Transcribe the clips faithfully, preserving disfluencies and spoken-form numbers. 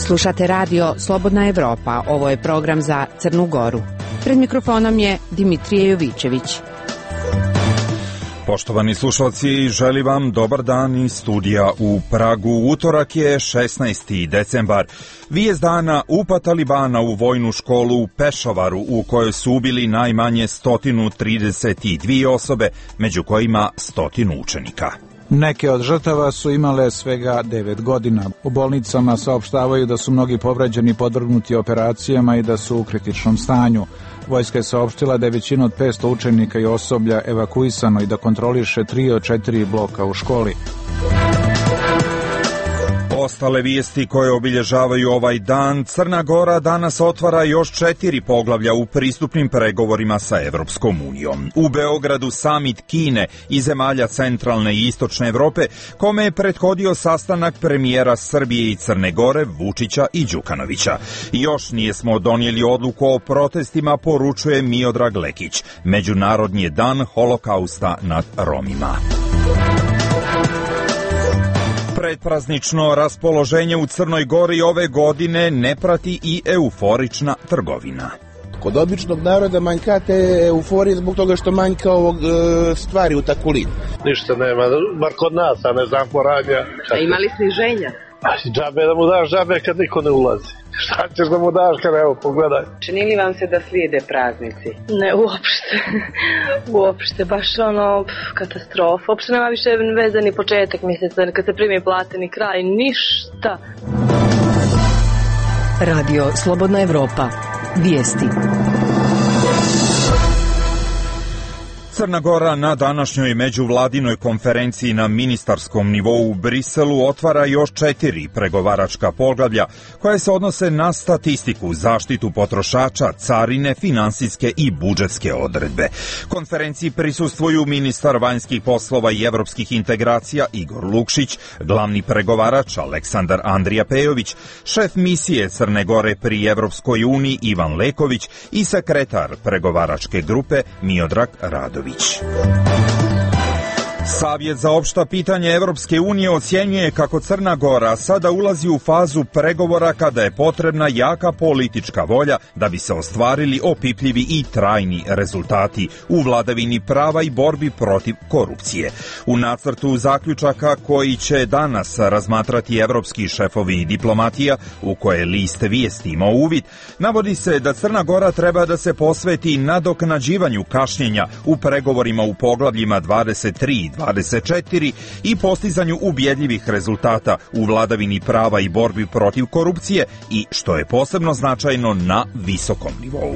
Slušate radio Slobodna Evropa, ovo je program za Crnu Goru. Pred mikrofonom je Dimitrije Jovićević. Poštovani slušalci, želim vam dobar dan iz studija u Pragu. Utorak je šesnaesti decembar. Vijest dana upad Talibana u vojnu školu u Pešavaru, u kojoj su ubili najmanje sto trideset dvije osobe, među kojima stotinu učenika. Neke od žrtava su imale svega devet godina. U bolnicama saopštavaju da su mnogi povređeni podvrgnuti operacijama i da su u kritičnom stanju. Vojska je saopštila da je većina od petsto učenika i osoblja evakuisano i da kontroliše tri od četiri bloka u školi. Ostale vijesti koje obilježavaju ovaj dan: Crna Gora danas otvara još četiri poglavlja u pristupnim pregovorima sa Evropskom unijom. U Beogradu samit Kine i zemalja centralne i istočne Evrope, kome je prethodio sastanak premijera Srbije i Crne Gore Vučića i Đukanovića. Još nijesmo donijeli odluku o protestima, poručuje Miodrag Lekić. Međunarodni je dan holokausta nad Romima. Predpraznično raspoloženje u Crnoj Gori ove godine ne prati i euforična trgovina. Kod običnog naroda manjka te euforije zbog toga što manjka ovog e, stvari u takulinu. Ništa nema, bar kod nas, a ne znam poradnja. A imali sniženja? Džabe da mu daš džabe kad niko ne ulazi. Šta ćeš da mu daš kad, evo, pogledaj. Čini li vam se da slijede praznici? Ne, uopšte. Uopšte, baš ono, katastrofa. Uopšte nema više veze ni početak mjeseca, kad se primi plate, ni kraj, ništa. Radio Slobodna Evropa. Vijesti. Crna Gora na današnjoj međuvladinoj konferenciji na ministarskom nivou u Briselu otvara još četiri pregovaračka poglavlja koje se odnose na statistiku, zaštitu potrošača, carine, finansijske i budžetske odredbe. Konferenciji prisustvuju ministar vanjskih poslova i evropskih integracija Igor Lukšić, glavni pregovarač Aleksandar Andrija Pejović, šef misije Crne Gore pri Evropskoj uniji Ivan Leković i sekretar pregovaračke grupe Miodrag Radović. Savjet za opšta pitanja Evropske unije ocjenjuje kako Crna Gora sada ulazi u fazu pregovora kada je potrebna jaka politička volja da bi se ostvarili opipljivi i trajni rezultati u vladavini prava i borbi protiv korupcije. U nacrtu zaključaka koji će danas razmatrati evropski šefovi diplomatija, u koje list vijesti ima uvid, navodi se da Crna Gora treba da se posveti nadoknađivanju kašnjenja u pregovorima u poglavljima dvadeset tri i dvadeset četiri i postizanju ubjedljivih rezultata u vladavini prava i borbi protiv korupcije i, što je posebno značajno, na visokom nivou.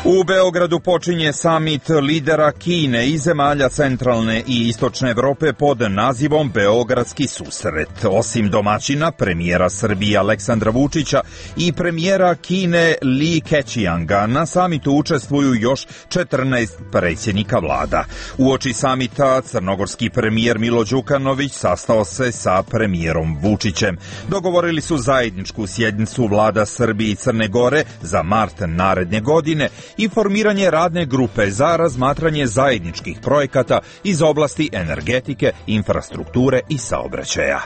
U Beogradu počinje samit lidera Kine i zemalja centralne i istočne Evrope pod nazivom Beogradski susret. Osim domaćina, premijera Srbije Aleksandra Vučića i premijera Kine Li Keqianga, na samitu učestvuju još četrnaest predsjednika vlada. Uoči samita crnogorski premijer Milo Đukanović sastao se sa premijerom Vučićem. Dogovorili su zajedničku sjednicu vlada Srbije i Crne Gore za mart naredne godine i formiranje radne grupe za razmatranje zajedničkih projekata iz oblasti energetike, infrastrukture i saobraćaja.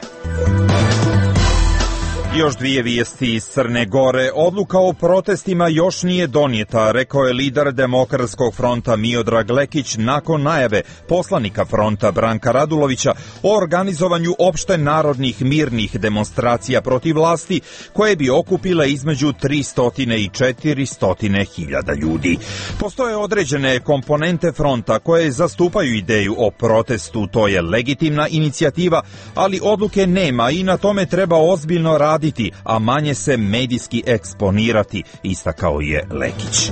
Još dvije vijesti iz Crne Gore. Odluka o protestima još nije donijeta, rekao je lider Demokratskog fronta Miodrag Lekić nakon najave poslanika fronta Branka Radulovića o organizovanju opšte narodnih mirnih demonstracija protiv vlasti koje bi okupile između tristo i četiristo hiljada ljudi. Postoje određene komponente fronta koje zastupaju ideju o protestu, to je legitimna inicijativa, ali odluke nema i na tome treba ozbiljno raditi, a manje se medijski eksponirati, istakao je Lekić.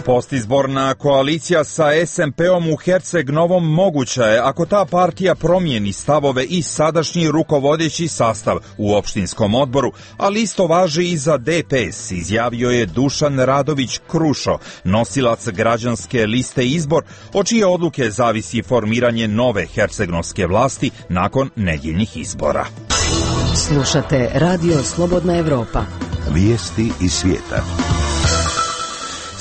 Postizborna koalicija sa es em pe-om u Herceg Novom moguća je ako ta partija promijeni stavove i sadašnji rukovodeći sastav u opštinskom odboru, ali isto važi i za de pe es, izjavio je Dušan Radović Krušo, nosilac građanske liste Izbor, od čije odluke zavisi formiranje nove hercegnovske vlasti nakon nedjeljnih izbora. Slušate Radio Slobodna Evropa. Vijesti iz svijeta.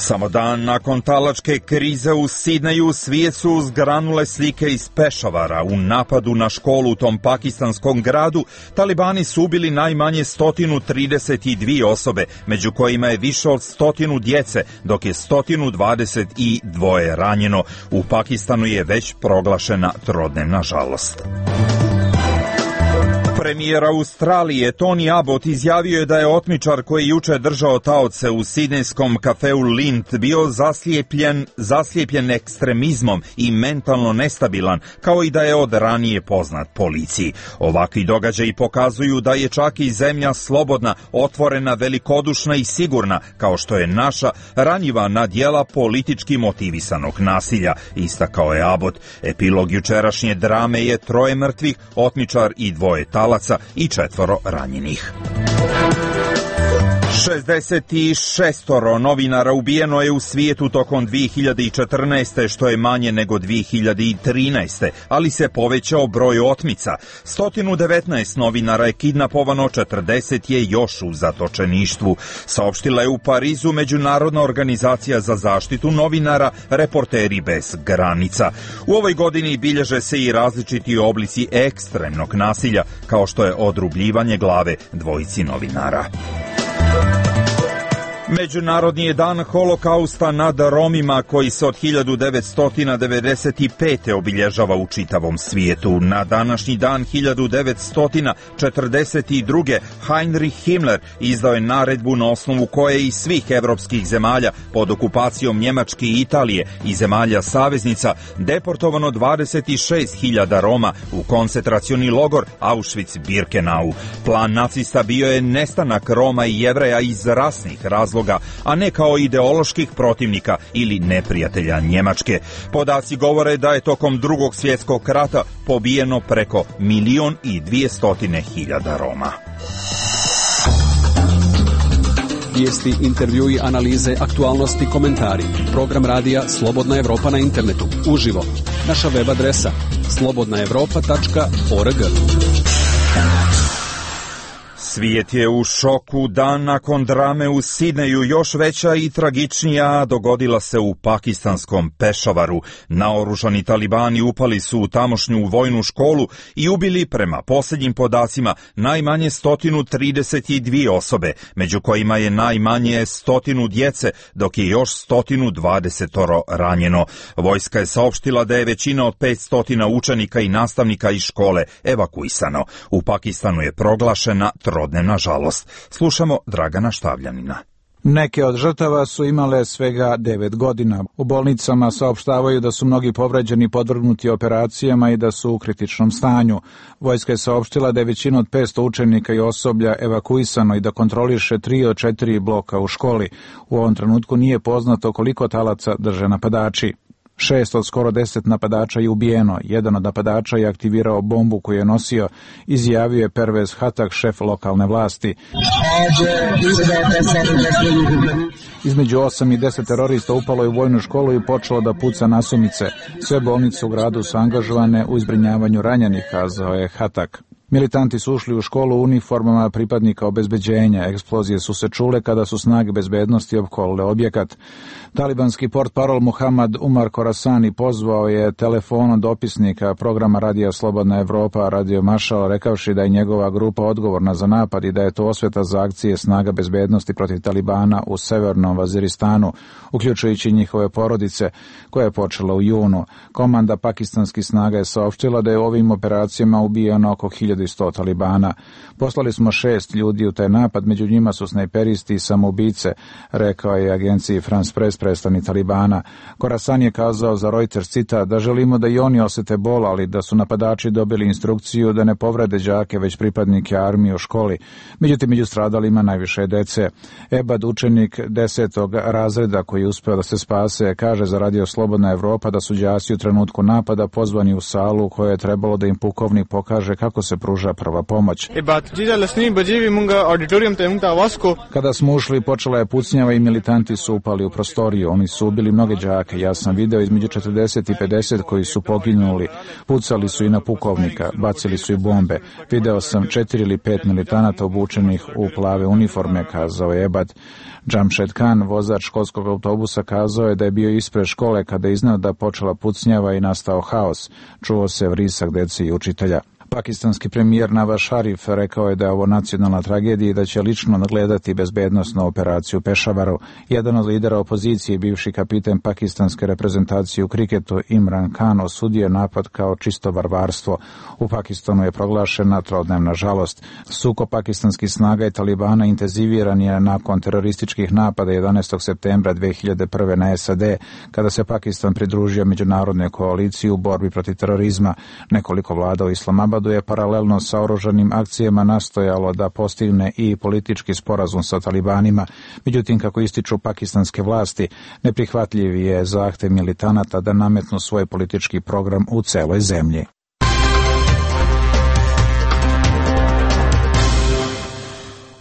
Samo dan nakon talačke krize u Sidneju svijet su zgranule slike iz Pešavara. U napadu na školu u tom pakistanskom gradu talibani su ubili najmanje sto trideset dvije osobe, među kojima je više od stotinu djece, dok je sto dvadeset dva ranjeno. U Pakistanu je već proglašena trodnevna žalost. Premijer Australije Tony Abbott izjavio je da je otmičar koji juče držao taoce u sidnejskom kafeu Lindt bio zaslijepljen, zaslijepljen ekstremizmom i mentalno nestabilan, kao i da je od ranije poznat policiji. Ovakvi događaji pokazuju da je čak i zemlja slobodna, otvorena, velikodušna i sigurna, kao što je naša, ranjiva na djela politički motivisanog nasilja, istakao je Abbott. Epilog jučerašnje drame je troje mrtvih, otmičar i dvoje talaca i četvoro ranjenih. šezdeset šest novinara ubijeno je u svijetu tokom dvije hiljade četrnaeste. što je manje nego dvije hiljade trinaeste. ali se povećao broj otmica. sto devetnaest novinara je kidnapovano, četrdeset je još u zatočeništvu. Saopštila je u Parizu Međunarodna organizacija za zaštitu novinara Reporteri bez granica. U ovoj godini bilježe se i različiti oblici ekstremnog nasilja, kao što je odrubljivanje glave dvojici novinara. Međunarodni je dan holokausta nad Romima koji se od hiljadu devetsto devedeset pete. obilježava u čitavom svijetu. Na današnji dan hiljadu devetsto četrdeset druge. Heinrich Himmler izdao je naredbu na osnovu koje iz svih evropskih zemalja pod okupacijom Njemačke i Italije i zemalja saveznica deportovano dvadeset šest hiljada Roma u koncentracioni logor Auschwitz-Birkenau. Plan nacista bio je nestanak Roma i Jevreja iz rasnih razloga, a ne kao ideoloških protivnika ili neprijatelja Njemačke. Podaci govore da je tokom drugog svjetskog rata pobijeno preko milion i dvijestotine hiljada Roma. Vijesti, intervjui, analize, aktualnosti, komentari. Program radija Slobodna Evropa na internetu. Uživo. Naša web adresa slobodna evropa tačka org. Svijet je u šoku. Dan nakon drame u Sidneju još veća i tragičnija dogodila se u pakistanskom Pešavaru. Naoružani talibani upali su u tamošnju vojnu školu i ubili, prema posljednjim podacima, najmanje sto trideset dvije osobe, među kojima je najmanje stotinu djece, dok je još sto dvadeset ranjeno. Vojska je saopštila da je većina od petsto učenika i nastavnika iz škole evakuisano. U Pakistanu je proglašena trodnevna žalost. Slušamo Dragana Štavljanina. Neke od žrtava su imale svega devet godina. U bolnicama saopštavaju da su mnogi povređeni podvrgnuti operacijama i da su u kritičnom stanju. Vojska je saopštila da je većina od petsto učenika i osoblja evakuisano i da kontroliše tri od četiri bloka u školi. U ovom trenutku nije poznato koliko talaca drže napadači. Šest od skoro deset napadača je ubijeno. Jedan od napadača je aktivirao bombu koju je nosio, izjavio je Pervez Hatak, šef lokalne vlasti. Između osam i deset terorista upalo je u vojnu školu i počelo da puca nasumice. Sve bolnice u gradu su angažovane u zbrinjavanju ranjenih, kazao je Hatak. Militanti su ušli u školu u uniformama pripadnika obezbeđenja. Eksplozije su se čule kada su snage bezbednosti opkolile objekat. Talibanski portparol Muhammad Umar Khorasani pozvao je telefonom dopisnika programa Radija Slobodna Evropa, Radio Mašal, rekavši da je njegova grupa odgovorna za napad i da je to osveta za akcije snaga bezbednosti protiv Talibana u severnom Vaziristanu, uključujući njihove porodice, koja je počela u junu. Komanda pakistanskih snaga je saopštila da je u ovim operacijama ubijeno oko hiljadu sto Talibana. Poslali smo šest ljudi u taj napad, među njima su snajperisti i samoubice, rekao je agenciji France Press predstavnik Talibana. Khorasan je kazao za Reuters, cita, da želimo da i oni osete bol, ali da su napadači dobili instrukciju da ne povrede đake, već pripadnike armije u školi. Međutim, među stradalima najviše dece. Ebad, učenik desetog razreda koji je uspeo da se spase, kaže za Radio Slobodna Evropa da su đaci u trenutku napada pozvani u salu u kojoj je trebalo da im pukovnik pokaže kako se pruža pruža prva pomoć. Kada smo ušli, počela je pucnjava i militanti su upali u prostoriju. Oni su ubili mnoge đake. Ja sam video između četrdeset i pedeset koji su poginuli. Pucali su i na pukovnika, bacili su i bombe. Video sam četiri ili pet militanata obučenih u plave uniforme, kazao je Ebad. Jamshed Khan, vozač školskog autobusa, kazao je da je bio ispred škole kada je iznao da počela pucnjava i nastao haos. Čuo se vrisak dece i učitelja. Pakistanski premijer Nawaz Sharif rekao je da je ovo nacionalna tragedija i da će lično nadgledati bezbednosnu operaciju u Pešavaru. Jedan od lidera opozicije, bivši kapiten pakistanske reprezentacije u kriketu Imran Khan, osudio napad kao čisto varvarstvo. U Pakistanu je proglašena trodnevna žalost. Sukob pakistanskih snaga i Talibana intenziviran je nakon terorističkih napada jedanaestog septembra dve hiljade prve. na S A D, kada se Pakistan pridružio međunarodnoj koaliciji u borbi protiv terorizma. Nekoliko vlada u Islamabadu je paralelno sa oružanim akcijama nastojalo da postigne i politički sporazum sa talibanima. Međutim, kako ističu pakistanske vlasti, neprihvatljiv je zahtev militanata da nametnu svoj politički program u celoj zemlji.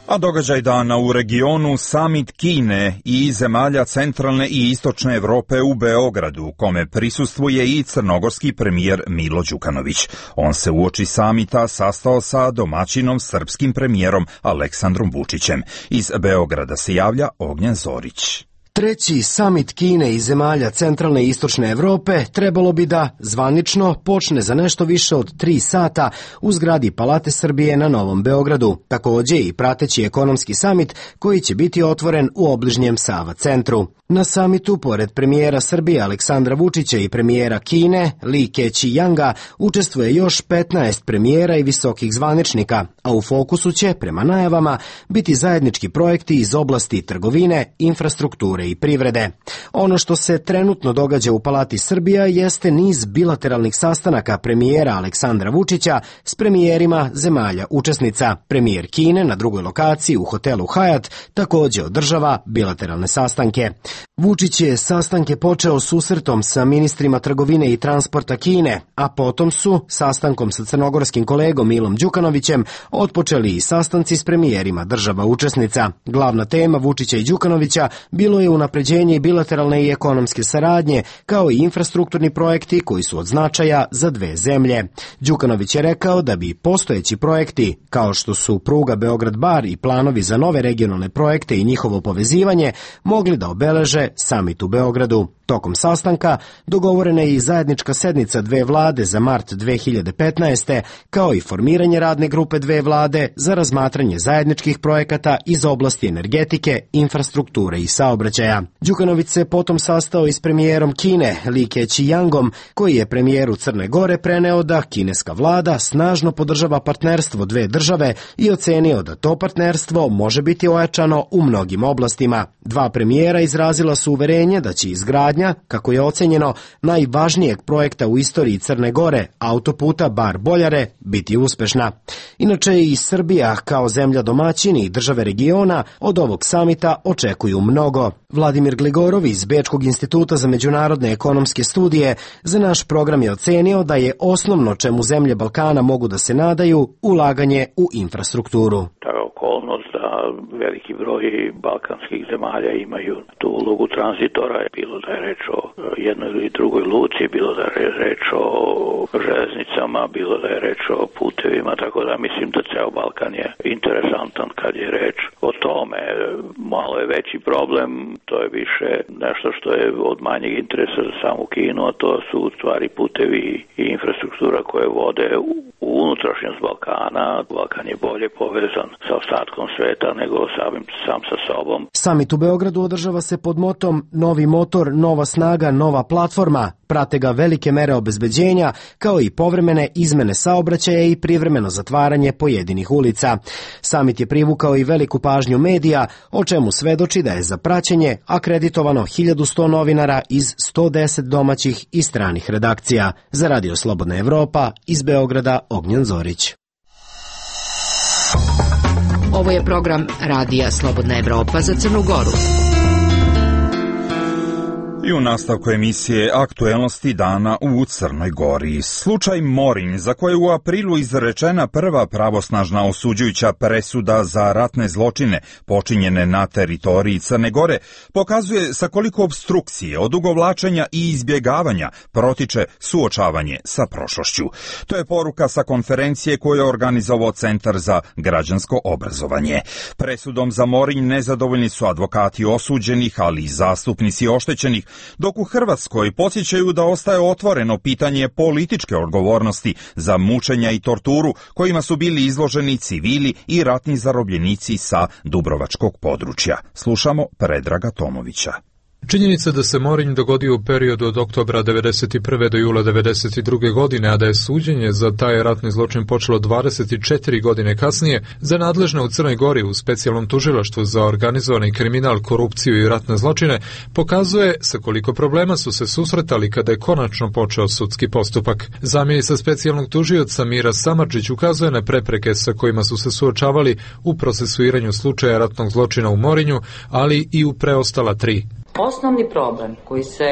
A događaj dana u regionu, samit Kine i zemalja centralne i istočne Evrope u Beogradu, kome prisustvuje i crnogorski premijer Milo Đukanović. On se uoči samita sastao sa domaćinom srpskim premijerom Aleksandrom Vučićem. Iz Beograda se javlja Ognjen Zorić. Treći samit Kine i zemalja centralne i istočne Evrope trebalo bi da zvanično počne za nešto više od tri sata u zgradi Palate Srbije na Novom Beogradu. Takođe i prateći ekonomski samit koji će biti otvoren u obližnjem Sava centru. Na samitu, pored premijera Srbije Aleksandra Vučića i premijera Kine Li Keqianga, učestvuje još petnaest premijera i visokih zvaničnika, a u fokusu će, prema najavama, biti zajednički projekti iz oblasti trgovine, infrastrukture i privrede. Ono što se trenutno događa u Palati Srbija jeste niz bilateralnih sastanaka premijera Aleksandra Vučića s premijerima zemalja učesnica. Premijer Kine na drugoj lokaciji u hotelu Hyatt takođe održava bilateralne sastanke. Vučić je sastanke počeo susretom sa ministrima trgovine i transporta Kine, a potom su, sastankom sa crnogorskim kolegom Milom Đukanovićem, otpočeli i sastanci s premijerima država učesnica. Glavna tema Vučića i Đukanovića bilo je unapređenje bilateralne i ekonomske saradnje, kao i infrastrukturni projekti koji su od značaja za dve zemlje. Đukanović je rekao da bi postojeći projekti, kao što su pruga Beograd-Bar i planovi za nove regionalne projekte i njihovo povezivanje, mogli da obeleže samit u Beogradu. Tokom sastanka dogovorena je i zajednička sednica dve vlade za mart dve hiljade petnaeste. kao i formiranje radne grupe dve vlade za razmatranje zajedničkih projekata iz oblasti energetike, infrastrukture i saobraćaja. Đukanović se potom sastao i s premijerom Kine Li Keqiangom, koji je premijeru Crne Gore preneo da kineska vlada snažno podržava partnerstvo dve države i ocenio da to partnerstvo može biti ojačano u mnogim oblastima. Dva premijera izrazila su uverenje da će izgradnja, kako je ocenjeno, najvažnijeg projekta u istoriji Crne Gore, autoputa Bar-Boljare, biti uspešna. Inače i Srbija, kao zemlja domaćin i države regiona, od ovog samita očekuju mnogo. Vladimir Gligorov iz Bečkog instituta za međunarodne ekonomske studije za naš program je ocenio da je osnovno čemu zemlje Balkana mogu da se nadaju ulaganje u infrastrukturu. Veliki broj balkanskih zemalja imaju tu ulogu tranzitora, bilo da je reč o jednoj ili drugoj luci, bilo da je reč o železnicama, bilo da je reč o putevima, tako da mislim da ceo Balkan je interesantan kad je reč o tome. Malo je veći problem, to je više nešto što je od manjeg interesa za samu Kinu, a to su u stvari putevi i infrastruktura koje vode u unutrašnjost Balkana. Balkan je bolje povezan sa ostatkom sveta nego samim sam sa sobom. Samit u Beogradu održava se pod motom Novi motor, nova snaga, nova platforma. Prate ga velike mere obezbeđenja, kao i povremene izmene saobraćaja i privremeno zatvaranje pojedinih ulica. Samit je privukao i veliku pažnju medija, o čemu svedoči da je za praćenje akreditovano hiljadu sto novinara iz sto deset domaćih i stranih redakcija. Za Radio Slobodna Evropa, iz Beograda, Ognjen Zorić. Ovo je program Radija Slobodna Evropa za Crnu Goru. I u nastavku emisije Aktuelnosti dana u Crnoj Gori. Slučaj Morinj, za koje u aprilu izrečena prva pravosnažna osuđujuća presuda za ratne zločine počinjene na teritoriji Crne Gore, pokazuje sa koliko obstrukcije, odugovlačenja i izbjegavanja protiče suočavanje sa prošlošću. To je poruka sa konferencije koju je organizovao Centar za građansko obrazovanje. Presudom za Morinj nezadovoljni su advokati osuđenih, ali i zastupnici oštećenih, dok u Hrvatskoj podsjećaju da ostaje otvoreno pitanje političke odgovornosti za mučenja i torturu kojima su bili izloženi civili i ratni zarobljenici sa dubrovačkog područja. Slušamo Predraga Tomovića. Činjenica da se Morinj dogodio u periodu od oktobra devedeset prve do jula devedeset druge godine, a da je suđenje za taj ratni zločin počelo dvadeset četiri godine kasnije, za nadležne u Crnoj Gori u specijalnom tužilaštvu za organizovani kriminal, korupciju i ratne zločine, pokazuje sa koliko problema su se susretali kada je konačno počeo sudski postupak. Zamjenica specijalnog tužioca Mira Samardžić ukazuje na prepreke sa kojima su se suočavali u procesuiranju slučaja ratnog zločina u Morinju, ali i u preostala tri. Osnovni problem koji se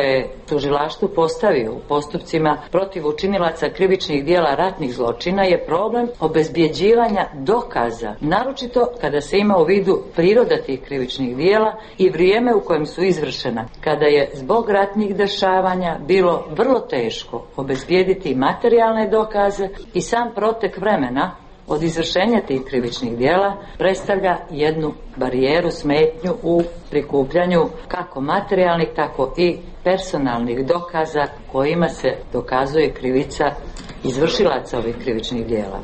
tužilaštvu postavio u postupcima protiv učinilaca krivičnih dijela ratnih zločina je problem obezbjeđivanja dokaza, naročito kada se ima u vidu priroda tih krivičnih dijela i vrijeme u kojem su izvršena, kada je zbog ratnih dešavanja bilo vrlo teško obezbijediti materijalne dokaze i sam protek vremena od izvršenja tih krivičnih dijela predstavlja jednu barijeru, smetnju u prikupljanju kako materijalnih, tako i personalnih dokaza kojima se dokazuje krivica izvršilaca ovih krivičnih dijela.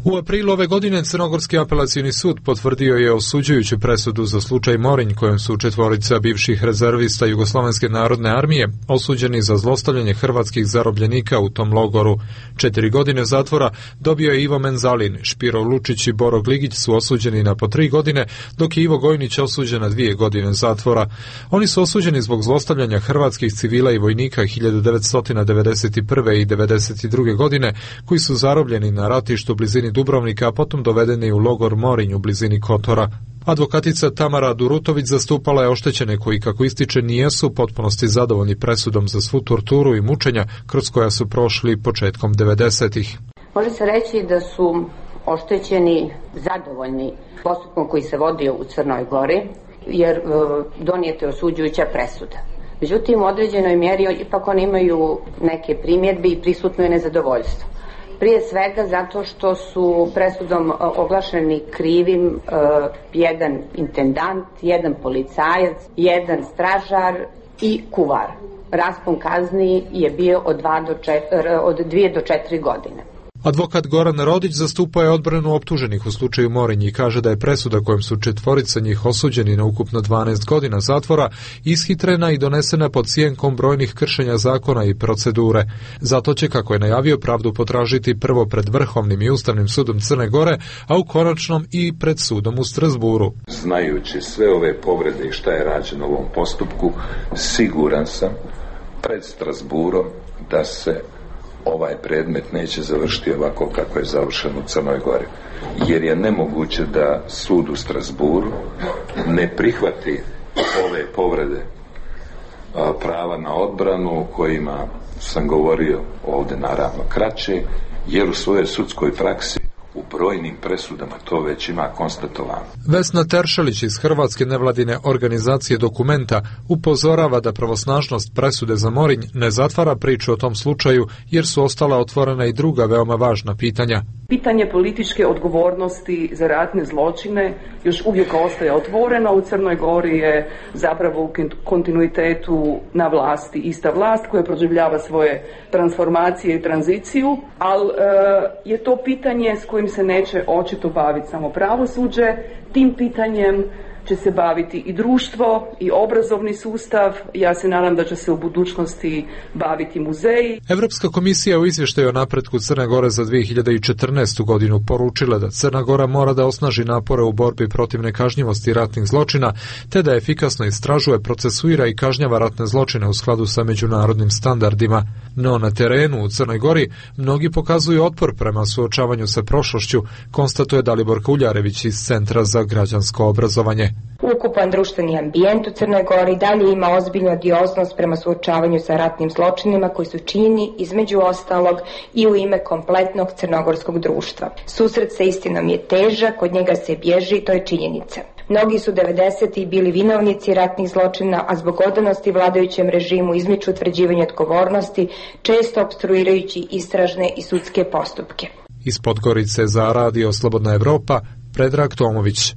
U aprilu ove godine Crnogorski apelacioni sud potvrdio je osuđujuću presudu za slučaj Morinj, kojom su četvorica bivših rezervista Jugoslovenske narodne armije osuđeni za zlostavljanje hrvatskih zarobljenika u tom logoru. Četiri godine zatvora dobio je Ivo Menzalin, Špiro Lučić i Boro Gligić su osuđeni na po tri godine, dok je Ivo Gojnić osuđen na dvije godine zatvora. Oni su osuđeni zbog zlostavljanja hrvatskih civila i vojnika hiljadu devetsto devedeset prve i devedeset druge godine, koji su zarobljeni na ratištu u blizini Dubrovnika, a potom dovedeni u logor Morinj u blizini Kotora. Advokatica Tamara Durutović zastupala je oštećene koji, kako ističe, nijesu u potpunosti zadovoljni presudom za svu torturu i mučenja kroz koja su prošli početkom devedesetih. Može se reći da su oštećeni zadovoljni postupkom koji se vodio u Crnoj Gori, jer donijete osuđujuća presuda. Međutim, u određenoj mjeri ipak oni imaju neke primjedbe i prisutno je nezadovoljstvo. Prije svega zato što su presudom oglašeni krivim uh, jedan intendant, jedan policajac, jedan stražar i kuvar. Raspon kazni je bio od, dva do četiri, od dvije do četiri godine. Advokat Goran Rodić zastupao je odbranu optuženih u slučaju Morinj i kaže da je presuda kojom su četvorica njih osuđeni na ukupno dvanaest godina zatvora ishitrena i donesena pod sjenkom brojnih kršenja zakona i procedure. Zato će, kako je najavio, pravdu potražiti prvo pred Vrhovnim i Ustavnim sudom Crne Gore, a u konačnom i pred sudom u Strasburu. Znajući sve ove povrede i šta je rađeno u ovom postupku, siguran sam pred Strasburom da se ovaj predmet neće završiti ovako kako je završen u Crnoj Gori. Jer je nemoguće da sud u Strasburu ne prihvati ove povrede a, prava na odbranu o kojima sam govorio ovdje naravno kraće, jer u svojoj sudskoj praksi u brojnim presudama to već ima konstatovano. Vesna Teršelić iz Hrvatske nevladine organizacije Dokumenta upozorava da pravosnažnost presude za Morinj ne zatvara priču o tom slučaju, jer su ostala otvorena i druga veoma važna pitanja. Pitanje političke odgovornosti za ratne zločine još uvijek ostaje otvoreno. U Crnoj Gori je zapravo u kontinuitetu na vlasti ista vlast koja proživljava svoje transformacije i tranziciju, ali e, je to pitanje s kojim se neće očito baviti samo pravosuđe. Tim pitanjem će se baviti i društvo i obrazovni sustav. Ja se nadam da će se u budućnosti baviti muzeji. Evropska komisija u izvještaju o napretku Crne Gore za dvije hiljade četrnaestu godinu poručila da Crna Gora mora da osnaži napore u borbi protiv nekažnjivosti ratnih zločina, te da efikasno istražuje, procesuira i kažnjava ratne zločine u skladu sa međunarodnim standardima. No na terenu u Crnoj Gori mnogi pokazuju otpor prema suočavanju sa prošlošću, konstatuje Dalibor Kuljarević iz Centra za građansko obrazovanje. Ukupan društveni ambijent u Crnoj Gori dalje ima ozbiljnu odioznost prema suočavanju sa ratnim zločinima koji su činjeni između ostalog i u ime kompletnog crnogorskog društva. Susret sa istinom je težak, od njega se bježi i to je činjenica. Mnogi su devedesetih bili vinovnici ratnih zločina, a zbog odanosti vladajućem režimu izmiču utvrđivanje odgovornosti, često opstruirajući istražne i sudske postupke. Iz Podgorice za Radio Slobodna Evropa, Predrag Tomović.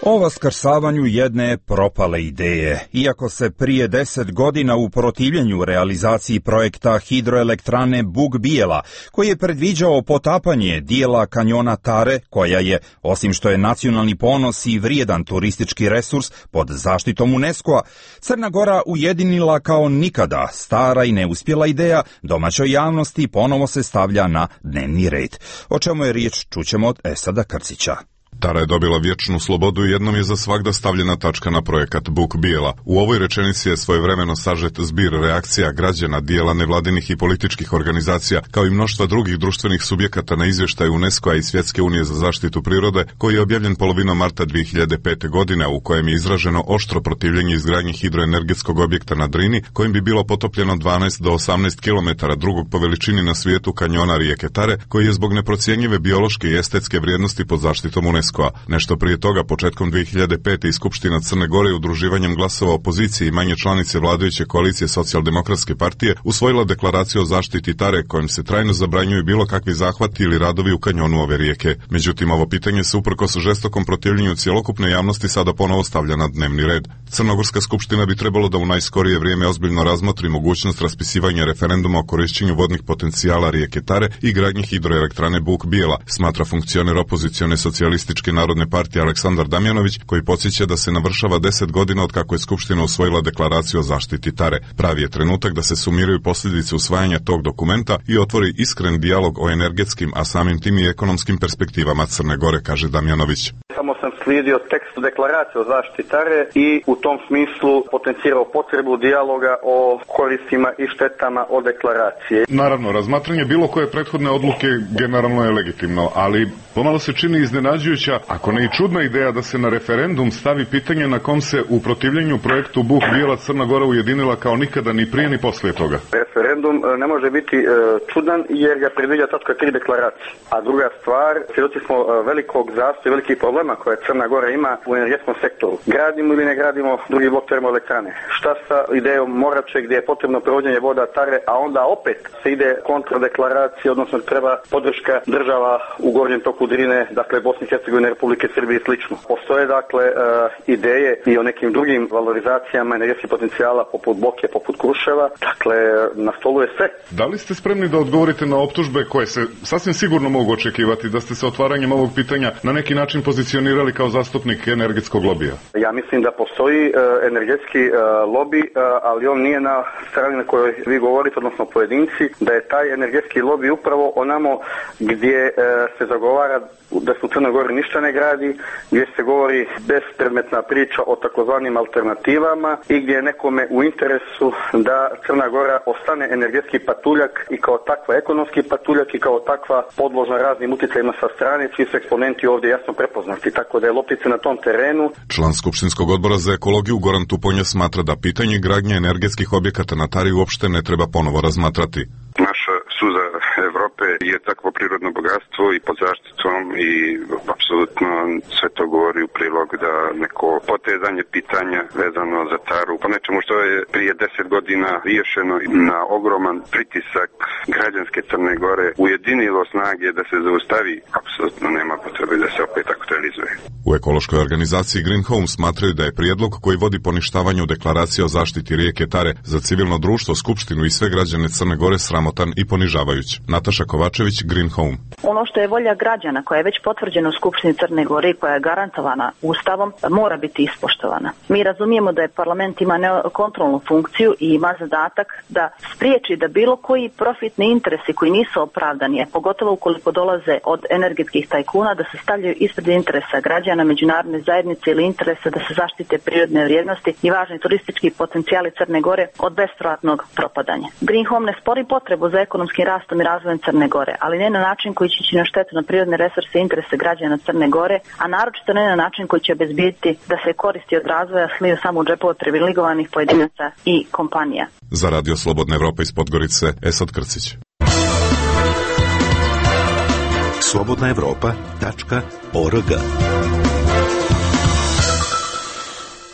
O vaskrsavanju jedne propale ideje. Iako se prije deset godina u protivljenju realizaciji projekta hidroelektrane Buk Bijela, koji je predviđao potapanje dijela kanjona Tare, koja je, osim što je nacionalni ponos i vrijedan turistički resurs pod zaštitom UNESCO-a, Crna Gora ujedinila kao nikada stara i neuspjela ideja domaćoj javnosti ponovo se stavlja na dnevni red. O čemu je riječ čućemo od Esada Krcića. Tara je dobila vječnu slobodu i jednom je za svagda stavljena tačka na projekat Buk Bijela. U ovoj rečenici je svojevremeno sažet zbir reakcija građana, dijela nevladinih i političkih organizacija, kao i mnoštva drugih društvenih subjekata na izvještaj UNESCO-a i Svjetske unije za zaštitu prirode, koji je objavljen polovinom marta dvije hiljade pete. godine, u kojem je izraženo oštro protivljenje izgradnji hidroenergetskog objekta na Drini, kojim bi bilo potopljeno dvanaest do osamnaest kilometara drugog po veličini na svijetu kanjona rijeke Tare, koji je zbog neprocjenjive biološke i estetske vrijednosti pod zaštitom UNESCO. Nešto prije toga, početkom dvije hiljade pete. i Skupština Crne Gore udruživanjem glasova opozicije i manje članice vladajuće koalicije Socijaldemokratske partije usvojila deklaraciju o zaštiti Tare, kojim se trajno zabranjuju bilo kakvi zahvati ili radovi u kanjonu ove rijeke. Međutim, ovo pitanje se uprkos žestokom protivljenju cjelokupne javnosti sada ponovo stavlja na dnevni red. Crnogorska skupština bi trebalo da u najskorije vrijeme ozbiljno razmotri mogućnost raspisivanja referenduma o korišćenju vodnih potencijala rijeke Tare i gradnji hidroelektrane Buk Bijela, smatra funkcioner opozicione socijalističke Narodne partije Aleksandar Damjanović, koji podsjeća da se navršava deset godina od kako je Skupština usvojila deklaraciju o zaštiti Tare. Pravi je trenutak da se sumiraju posljedice usvajanja tog dokumenta i otvori iskren dijalog o energetskim, a samim tim i ekonomskim perspektivama Crne Gore, kaže Damjanović. Samo sam slijedio tekst deklaracije o zaštiti Tare i u tom smislu potencirao potrebu dijaloga o koristima i štetama od deklaracije. Naravno, razmatranje bilo koje prethodne odluke generalno je legitimno, ali pomalo se čini iznenađujuća, ako ne i čudna ideja da se na referendum stavi pitanje na kom se u protivljenju projektu Buk Bijela Crna Gora ujedinila kao nikada ni prije ni poslije toga. Referendum ne može biti e, čudan jer ga predviđa tačka tri deklaracije. A druga stvar, svjedoci smo velikog zastoja, velikih problema koje Crna Gora ima u energetskom sektoru. Gradimo ili ne gradimo drugi blok termoelektrane? Šta sa idejom Morače gdje je potrebno provođenje voda Tare, a onda opet se ide kontra deklaracije, odnosno treba podrška država u gornjem toku Drine, dakle Bosne i Hercegovine, Republike Srbije i slično. Postoje dakle uh, ideje i o nekim drugim valorizacijama energetskih potencijala poput Boke, poput Kruševa. Dakle, na stolu je sve. Da li ste spremni da odgovorite na optužbe koje se sasvim sigurno mogu očekivati da ste sa otvaranjem ovog pitanja na neki način pozicionirali kao zastupnik energetskog lobija? Ja mislim da postoji uh, energetski uh, lobby, uh, ali on nije na strani na kojoj vi govorite, odnosno pojedinci, da je taj energetski lobby upravo onamo gdje uh, se zagovara da se u Crnoj Gori ništa ne gradi, gdje se govori bespredmetna priča o takozvanim alternativama i gdje je nekome u interesu da Crna Gora ostane energetski patuljak i kao takva ekonomski patuljak i kao takva podložna raznim utjecajima sa strane, čiji su eksponenti ovdje jasno prepoznati, tako da je loptica na tom terenu. Član Skupštinskog odbora za ekologiju Goran Tuponja smatra da pitanje gradnje energetskih objekata na Tari uopšte ne treba ponovo razmatrati. Naša suza Evrope je takvo prirodno bogatstvo i pod zaštitom i apsolutno sve to govori u prilog da neko potezanje pitanja vezano za Taru po nečemu što je prije deset godina riješeno na ogroman pritisak građanske Crne Gore ujedinilo snage da se zaustavi, apsolutno nema potrebe da se opet aktualizuje. U ekološkoj organizaciji Green Home smatraju da je prijedlog koji vodi poništavanju deklaracije o zaštiti rijeke Tare za civilno društvo, skupštinu i sve građane Crne Gore sramotan i ponižavajuć. Nataša Kovačević, Green Home. Ono što je volja građana koja je već potvrđena u Skupštini Crne Gore i koja je garantovana Ustavom mora biti ispoštovana. Mi razumijemo da je parlament ima kontrolnu funkciju i ima zadatak da spriječi da bilo koji profitni interesi koji nisu opravdani, pogotovo ukoliko dolaze od energetskih tajkuna, da se stavljaju ispred interesa građana, međunarodne zajednice ili interesa da se zaštite prirodne vrijednosti i važni turistički potencijali Crne Gore od bespovratnog propadanja. Green Home ne spori potrebu za ekonomskim rastom i razvojem razvojem Crne Gore, ali ne na način koji će ići na štetu na prirodne resurse i interese građana Crne Gore, a naročito ne na način koji će obezbijeti da se koristi od razvoja sliju samo u džepove privilegovanih pojedinaca i kompanija. Za Radio Slobodna Evropa iz Podgorice, Esad Krcić. slobodna evropa tačka org.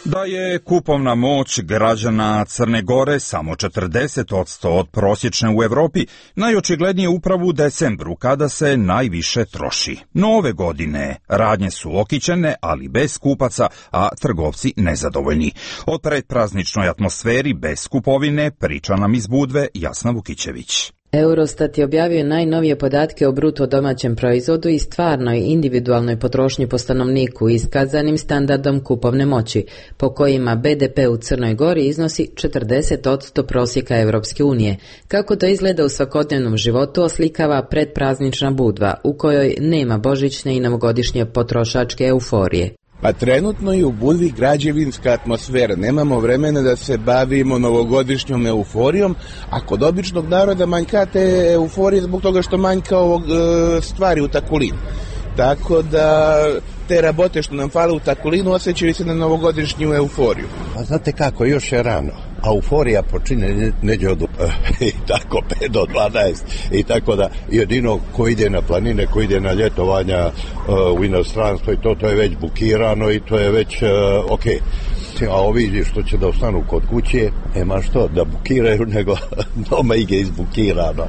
Da je kupovna moć građana Crne Gore samo četrdeset posto od prosječne u Evropi, najočiglednije upravo u decembru kada se najviše troši. No ove godine radnje su okićene, ali bez kupaca, a trgovci nezadovoljni. O predprazničnoj atmosferi bez kupovine priča nam iz Budve Jasna Vukićević. Eurostat je objavio najnovije podatke o bruto domaćem proizvodu i stvarnoj individualnoj potrošnji po stanovniku iskazanim standardom kupovne moći, po kojima be de pe u Crnoj Gori iznosi četrdeset posto prosjeka Evropske unije. Kako to izgleda u svakodnevnom životu oslikava predpraznična Budva, u kojoj nema božićne i novogodišnje potrošačke euforije. Pa trenutno je u Budvi građevinska atmosfera. Nemamo vremena da se bavimo novogodišnjom euforijom, a kod običnog naroda manjka te euforije zbog toga što manjka ovog e, stvari u Takulinu. Tako da te rabote što nam fale u Takulinu osjećaju se na novogodišnju euforiju. A znate kako, još je rano. A euforija počine neđe od i tako pet do dvanaest i tako da jedino ko ide na planine, ko ide na ljetovanja uh, u inostranstvo i to, to je već bukirano i to je već uh, ok. A ovi što će da ostanu kod kuće, nema što da bukiraju, nego doma ige izbukirano.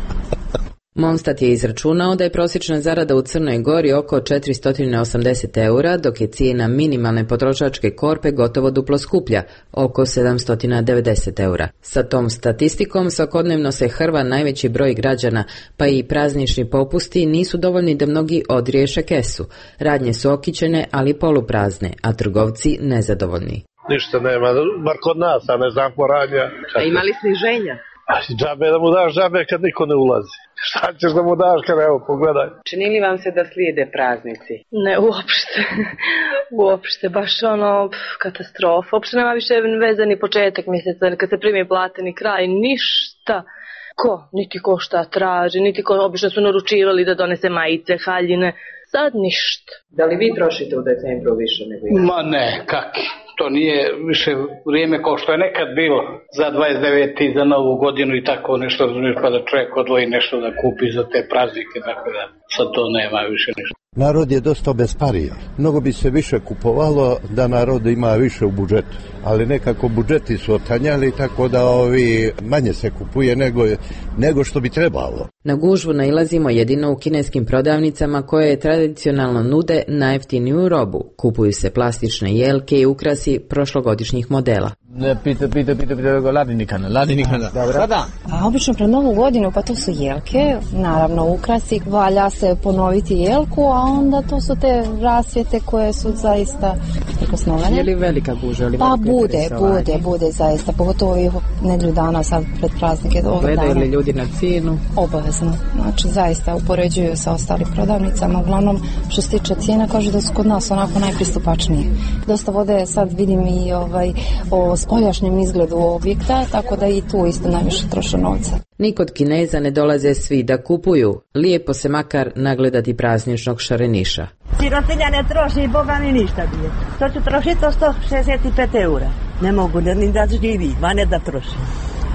Monstat je izračunao da je prosječna zarada u Crnoj Gori oko četiristo osamdeset eura, dok je cijena minimalne potrošačke korpe gotovo duplo skuplja, oko sedamsto devedeset eura. Sa tom statistikom svakodnevno se hrva najveći broj građana, pa i praznični popusti nisu dovoljni da mnogi odriješe kesu. Radnje su okićene, ali poluprazne, a trgovci nezadovoljni. Ništa nema, bar kod nas, a ne znam poradnja. A ima li sniženja? Džabe da mu daš džabe kad niko ne ulazi. Šta ćeš da mu daš kad, evo, pogledaj. Čini li vam se da slijede praznici? Ne, uopšte. Uopšte, baš ono, pf, katastrofa. Uopšte nema više veze ni početak mjeseca, kad se primi plate ni kraj, ništa. Ko? Niti ko šta traži, niti ko obično su naručivali da donese majice, haljine. Sad ništa. Da li vi trošite u decembru više nego ja? Ma ne, kaki. To nije više vrijeme kao što je nekad bilo za dvadeset devete za novu godinu i tako nešto, pa da čovjek odvoji nešto da kupi za te praznike, tako da sad to nema više ništa. Narod je dosta obespario. Mnogo bi se više kupovalo da narod ima više u budžetu, ali nekako budžeti su otanjali, tako da ovi manje se kupuje nego, nego što bi trebalo. Na gužvu nailazimo jedino u kineskim prodavnicama koje tradicionalno nude najjeftiniju robu. Kupuju se plastične jelke i ukrasi prošlogodišnjih modela. Pita, pita, pita, pita, ladinikana, ladinikana. Dobro. Da. A obično pred novu godinu, pa to su jelke, naravno ukrasi, valja se ponoviti jelku, a onda to su te rasvjete koje su zaista prikosnovene. Je li velika gužva? Ili pa bude, bude, bude zaista, pogotovo i nedjelju dana sad pred praznike. Gledaju li ljudi na cijenu? Obavezno, znači zaista upoređuju sa ostalim prodavnicama, uglavnom što se tiče cijena kaže da su kod nas onako najpristupačnije. Dosta vode sad vidim i ovaj, o spoljašnjem izgledu objekta, tako da i tu isto najviše troše novca. Ni kod Kineza ne dolaze svi da kupuju, lijepo se makar nagledati prazničnog šareniša. Sirotinja ne troši, Boga mi ništa bije. To ću trošiti to sto šezdeset pet eura. Ne mogu ni da živi, ma ne da troši.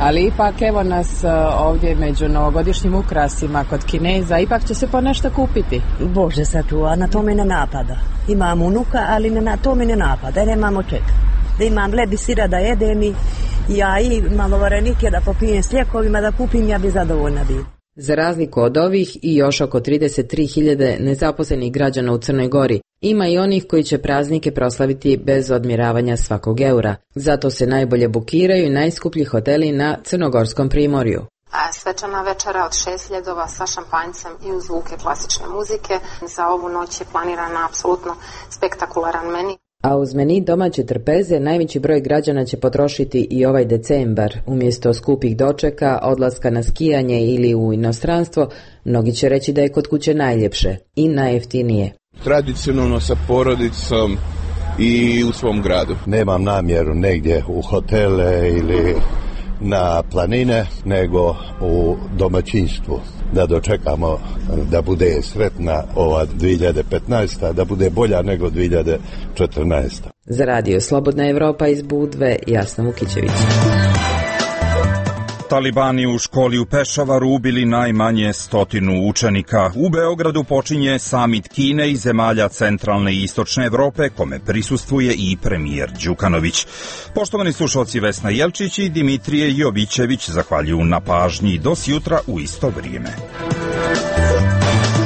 Ali ipak evo nas ovdje među novogodišnjim ukrasima kod Kineza, ipak će se po nešto kupiti. Bože sačuva, na to me ne napada. Imam unuka, ali na to me ne napada, jer nemamo čeka. Da imam lebi sira da jedem i ja i malo varenike da popijem s lijekovima da kupim, ja bi zadovoljna bila. Za razliku od ovih i još oko trideset tri hiljade nezaposlenih građana u Crnoj Gori, ima i onih koji će praznike proslaviti bez odmjeravanja svakog eura. Zato se najbolje bukiraju najskuplji hoteli na crnogorskom primorju. Svečana večera od šest ljedova sa šampanjcem i uz zvuke klasične muzike. Za ovu noć je planirana apsolutno spektakularan meni. A uz meni domaće trpeze najveći broj građana će potrošiti i ovaj decembar. Umjesto skupih dočeka, odlaska na skijanje ili u inostranstvo, mnogi će reći da je kod kuće najljepše i najjeftinije. Tradicionalno sa porodicom i u svom gradu. Nemam namjeru negdje u hotele ili na planine nego u domaćinstvu. Da dočekamo da bude sretna ova dvije hiljade petnaesta. da bude bolja nego dvije hiljade četrnaesta. Za radio Slobodna Evropa iz Budve, Jasna Vukićević. Talibani u školi u Pešavaru ubili najmanje stotinu učenika. U Beogradu počinje samit Kine i zemalja centralne i istočne Evrope, kome prisustvuje i premijer Đukanović. Poštovani slušalci, Vesna Jelčić i Dimitrije Jovićević zahvaljuju na pažnji. Do sjutra u isto vrijeme.